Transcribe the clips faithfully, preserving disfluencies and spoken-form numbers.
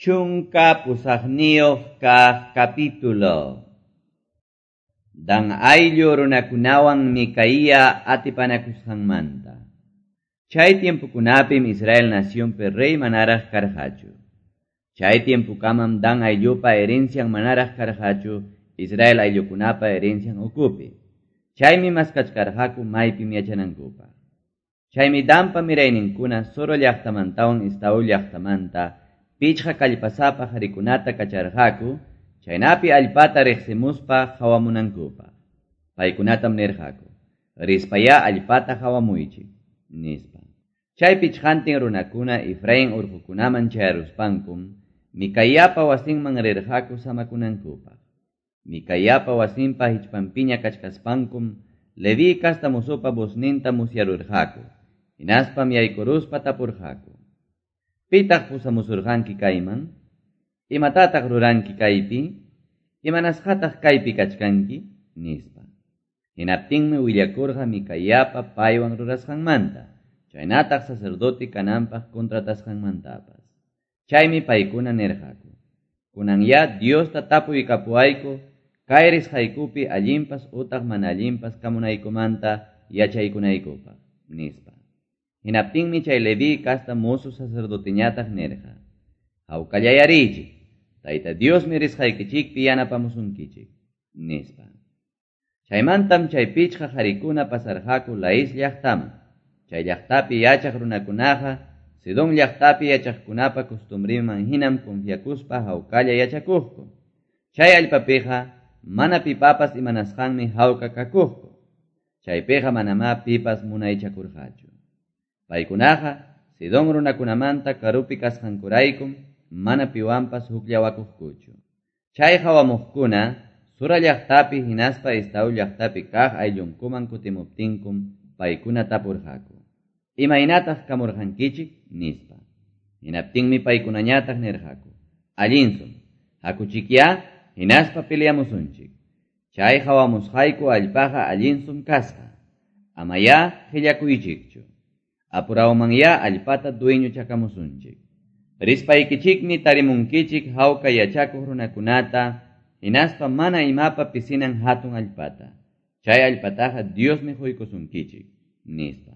Chunka pusaqniyuq kaq capítulo. Dan ayllu runakunawan Micaía atipanakusqanmanta. Chay tiempokunapim Israel nacionpi rey manaraq karqachu. Chay tiempokamam Dan ayllupa herencian manaraq karqachu Israel ayllukunapa herencian ukupi. Chaymi maskachkarqaku maypim yachanankupaq. Chaymi Danpa mirayninkuna Zora llaqtamantawan Estaol llaqtamanta pichqa kallpasapa qharikunata kacharqaku, chaynapi allpata riqsimuspa qhawamunankupaq. Paykunatam nirqaku, rispayá allpata qhawamuychik, nispa. Chay pichqantin runakuna Efraín urqukunaman chayaruspankum, Micaiapa wasinman rirqaku samakunankupaq. Micaiapa wasinpa hichpanpiña kachkaspankum, Leví kasta musupa vozninta musyarurqaku, hinaspam yaykuruspa tapurqaku. Pitaq pusamusurqanki kayman? Imatataq ruranki kaypi? Imanasqataq kaypi kachkanki? Nispa. Hinaptinmi willakurqa Micaiapa paywan rurasqanmanta, chaynataq sacerdote kananpaq contratasqanmantapas. Chaymi paykuna nirqaku: Kunanyá Diosta tapuykapuwayku, kay risqaykupi allinpas utaq mana allinpas kamunaykumanta yachaykunaykupaq, nispa. Hinaptinmi chay Leví kasta mozo sacerdoteñataq nirqa: Hawkallayarichik, Tayta Diosmi risqaykichikpi yanapamusunkichik, nispa. Chaymantam chay pichqa qarikuna pasarqaku Lais llaqtaman. Chay llaqtapi yachaq runakunaqa Sidón llaqtapi yachaqkunapa costumbrinman hinam confiakuspa hawkalla yachakuqku. Chay allpapiqa mana pipapas imanasqanmi hawka kakuqku. Chaypiqa manamá pipas munaychakurqachu. Paykunaqa Sidón runakunamanta karupi kasqankuraykum mana piwanpas hukllawakuqkuchu. Chay hawamuqkuna Zora llaqtapi hinaspa Estaol llaqtapi kaq ayllunkuman kutimuptinkum paykuna tapurqaku: Imaynataq kamurqankichik? Nispa. Hinaptinmi paykunañataq nirqaku: Allinsum, hakuchikyá hinaspa peleamusunchik. Chay hawamusqayku allpaqa allinsum kasqa. Amayá qillakuychikchu. Apurawmanyá allpata dueñochakamusunchik. Rispaykichikmi tarimunkichik hawka yachakuq runakunata, hinaspa mana imapa pisinan hatun allpata. Chay allpataqa Diosmi quykusunkichik, nispa.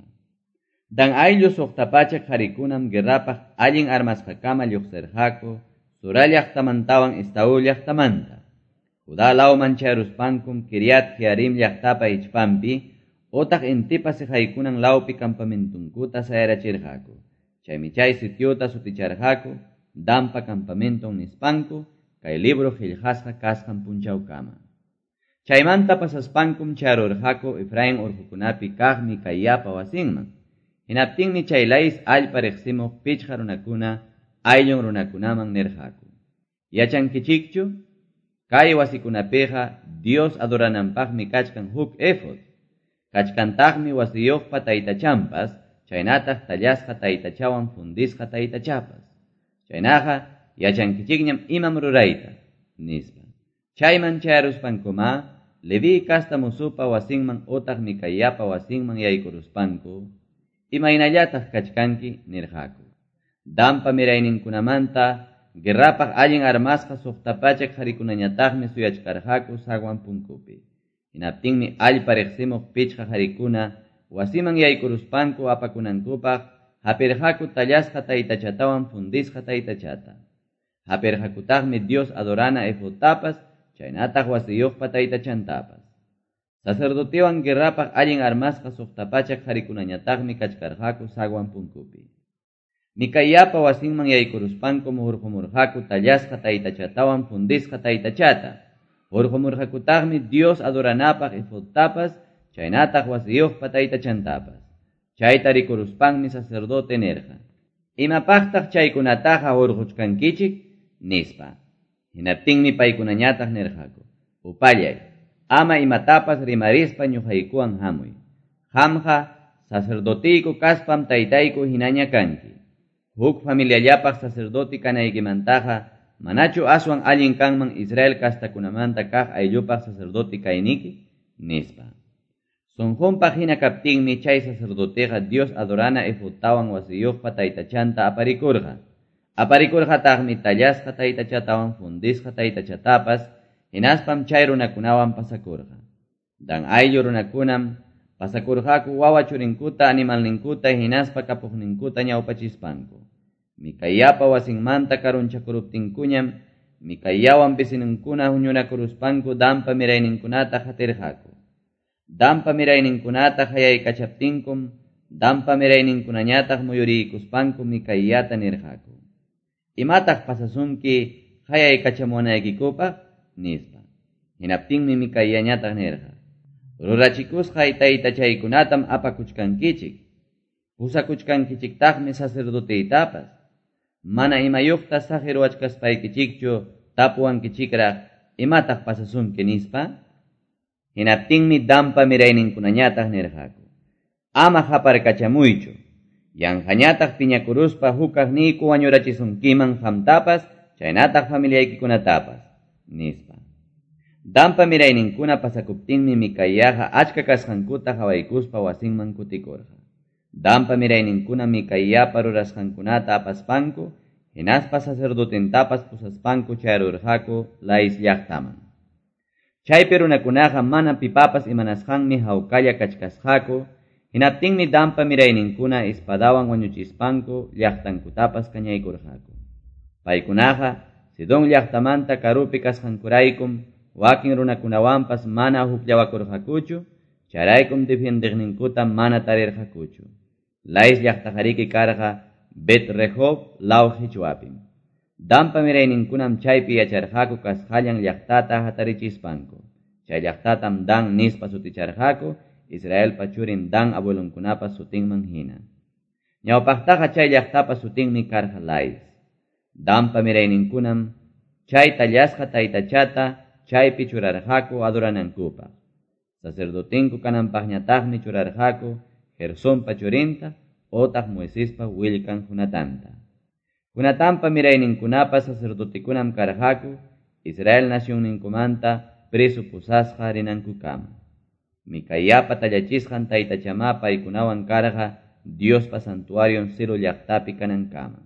Dan ayllu suqta pachak qharikunam guerrapaq allin armasqakama lluqsirqaku Zora llaqtamantawan Estaol llaqtamanta. Judá lawman chayaruspankum Kiriat Jearim llaqtapa hichpanpi utaq intipa siqaykunan lawpi campamentunkuta sayarachirqaku. Chaymi chay sitiota suticharqaku Danpa campamenton nispanku, kay libro qillqasqa kasqan punchawkama. Chaymanta pasaspankum chayarurqaku Efraín urqukunapi kaq Micaiapa wasinman. Hinaptinmi chay Lais allpa riqsimuq pichqa runakuna ayllun runakunaman nirqaku: Yachankichikchu? Kay wasikunapiqa Dios adorananpaqmi kachkan huk efod. Kachkantaqmi wasiyuqpa taytachanpas, chaynataq tallasqa taytachawan fundisqa taytachapas. Chaynaqa yachankichikñam imam rurayta, nispa. Chayman chayaruspankuma, Leví kasta musupa wasinman utaq Micaiapa wasinman yaykuruspanku, imaynallataq kachkanki, nirqaku. Danpa mirayninkunamanta guerrapaq allin armasqa suqta pachak qarikunañataqmi suyachkarqaku zaguan punkupi. Hinaptinmi allpa riqsimuq pichqa qarikuna wasiman yaykuruspanku apakunankupaq hapirqaku tallasqa taytachatawan fundisqa taytachata. Hapirqakutaqmi Dios adorana efodtapas, chaynataq wasiyuqpa taytachantapas. Sacerdotewan guerrapaq allin armasqa suqta pachak qarikunañataqmi kachkarqaku zaguan punkupi. Micaiapa wasinman yaykuruspankum hurqumurqaku tallasqa taytachatawan fundisqa taytachata. Hurqumurqakutaqmi Dios adoranapaq efodtapas, chaynataq wasiyuqpa taytachantapas. Chayta rikuruspanmi sacerdote nirqa: Imapaqtaq chaykunataqa hurquchkankichik? Nispa. Hinaptinmi paykunañataq nirqaku: Upallay, ama imatapas rimarispa ñuqaykuwan hamuy. Qamqa sacerdotiyku kaspam taytayku hinaña kanki. Huk familiallapaq sacerdote kanaykimantaqa manachu aswan allin kanman Israel kastakunamanta kaq ayllupaq sacerdote kayniki? Nispa. Sunqunpaq hina kaptinmi chay sacerdoteqa Dios adorana efodtawan wasiyuqpa taytachanta aparikurqa. Aparikurqataqmi tallasqa taytachatawan fundisqa taytachatapas, hinaspam chay runakunawan pasakurqa. Dan ayllu runakunam pasakurqaku wawa churinkuta, animalninkuta hinaspa kapuqninkuta ñawpachispanku. Micaiapa wasinmanta karunchakuruptinkuñam Micaiawan vecinunkuna huñunakuruspanku Danpa mirayninkunata qatirqaku. Danpa mirayninkunata hayaykachaptinkum Danpa mirayninkunañataq muyuriykuspanku Micaiata nirqaku: "Imataq pasasunki hayaykachamunaykikupaq?" nispa. Hinaptinmi Micaiañataq nirqa: "Rurachikusqay taytachaykunatam apakuchkankichik, pusakuchkankichiktaqmi sacerdoteytapas. Mana imayuqta saqiruwachkaspaykichikchu tapuwankichikraq imataq pasasunki nispa." Hinaptinmi Danpa mirayninkunañataq nirqaku: "Ama qaparkachamuychu, yanqañataq piñakuruspa hukaqniyku wañurachisunkiman qamtapas chaynataq familiaykikunatapas", nispa. Danpa mirayninkuna pasakuptinmi Micaiaqa achka kasqankuta qawaykuspa wasinman kutikurqa. Danpa mirayninkuna Micaiapa rurasqankunata apaspanku, hinaspa sacerdotentapas pusaspanku chayarurqaku Lais llaqtaman. Chaypi runakunaqa mana pipapas imanasqanmi hawkalla kachkasqaku, hinaptinmi Danpa mirayninkuna espadawan wañuchispanku llaqtankutapas kañaykurqaku. Paykunaqa Sidón llaqtamanta karupi kasqankuraykum wakin runakunawanpas mana hukllawakurqakuchu, chayraykum defiendeqninkuta mana tarirqakuchu. Lais llaqtaqariki karqa Bet Rehob law hichwapim. Danpa mirayninkunam chaypi yacharqaku kasqallan llaqtata hatarichispanku. Chay llaqtatam Dan nispa suticharqaku, Israelpa churin Dan abuelonkunapa sutinman hina. Ñawpaqtaqa chay llaqtapa sutinmi karqa Lais. Danpa mirayninkunam chay tallasqa taytachata chaypi churarqaku adoranankupaq. Sacerdotinku kananpaqñataqmi churarqaku Gersonpa churinta otaq Moisespa willkan Jonatanta. Jonatanpa mirayninkunapa sacerdotekunam karqaku Israel nacionninkumanta preso pusasqa rinankukama. Micaiapa tallachisqan taytachamá paykunawan karqa Diospa santuarion Silo llaqtapi kanankama.